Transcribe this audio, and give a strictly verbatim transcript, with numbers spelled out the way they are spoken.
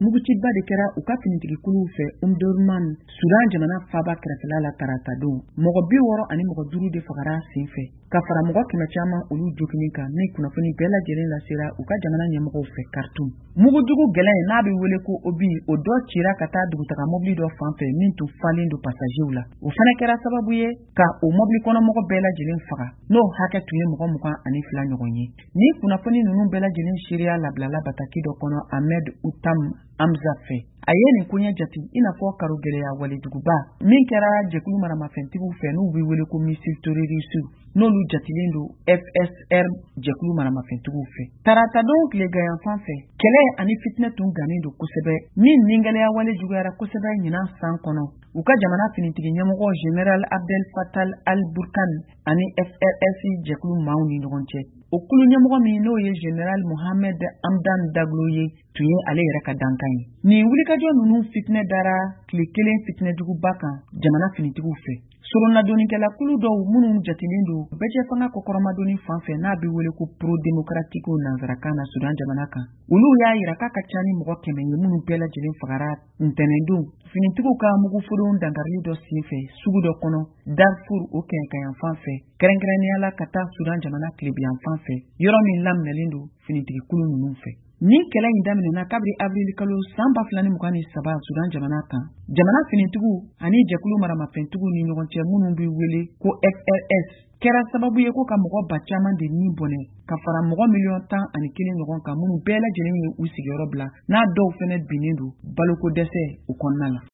Muguciba de kɛra u ka finitigikuluw fɛ Omdurman, Sudan jamana faaba kɛrɛfɛla la taratadon. Mɔgɔ bi wɔɔrɔ ani mɔgɔ duuru de fagara sen fɛ, ka fara mɔgɔ kɛmɛ caman olu joginin kan, ni kunnafoni bɛɛ lajɛlen lasera u ka jamana ɲɛmɔgɔw fɛ Khartoum. Mugujugu gɛlɛn n'a bɛ wele ko obus, o dɔ cira ka taa dugutaga mobili dɔ fan fɛ min tun falen don pasajew la. O fana kɛra sababu ye ka o mobili kɔnɔmɔgɔ bɛɛ lajɛlen faga, n'o hakɛ tun ye mɔgɔ mugan ani fila ɲɔgɔn ye. Ni kunnafoni ninnu bɛɛ lajɛlen seereya labilala bataki dɔ kɔnɔ Ahmed Utam Hamza fɛ. A ye nin koɲɛ jate i n'a fɔ karo gɛlɛya walejuguba min kɛra jɛkulu maramafɛntigiw fɛ n'u bɛ wele ko missile terroriste, n'olu jatilen don F S R jɛkulu maramafɛntigiw fɛ. Taratadon tileganyanfan fɛ, kɛlɛ ani fitinɛ tun gannen don kosɛbɛ, min ningɛlɛya wale juguyara kosɛbɛ ɲinan san kɔnɔ u ka jamana finitigi ɲɛmɔgɔ Général Abdel Fattah al-Burhan ani F R S jɛkulu maaw ni ɲɔgɔn cɛ. O kulu ɲɛmɔgɔ min n'o ye Général Mohamed Hamdan Daglo ye, tun ye ale yɛrɛ ka dankan ye. Nin wulikajɔ ninnu fitinɛ dara tile kelen fitinɛjuguba kan jamana finitigiw fɛ. Soronadonnikɛla-kulu dɔw minnu jatilen don bɛɛjɛfanga kɔkɔrɔmadonni fan fɛ, n'a bɛ wele ko pro-démocratique nansarakan na Sudan jamana kan, olu y'a yira k'a ka ca ni mɔgɔ kɛmɛ ye minnu bɛɛ lajɛlen fagara ntɛnɛndon finitigiw ka muguforon dankarili dɔ sen fɛ sugu dɔ kɔnɔ Darfur, o kɛɲɛkayanfan fɛ, kɛrɛnkɛrɛnnenya la ka taa Sudan jamana tilebiyanfan fɛ, yɔrɔ min laminɛlen don finitigikulu ninnu fɛ. Nin kɛlɛ in daminɛna kabiri avril kalo san ba fila ni mugan ni saba Sudan jamana kan, jamana finitigiw ani jɛkulu maramafɛntigiw ni ɲɔgɔn cɛ minnu bɛ wele ko F R S, kɛra sababu ye ko ka mɔgɔ ba caman de ni bɔnɛ, ka fara mɔgɔ miliyɔn tan ani kelen ɲɔgɔn kan minnu bɛɛ lajɛlen ye u sigiyɔrɔ bila, n'a dɔw fɛnɛ binnen don baloko dɛsɛ u kɔnɔna la.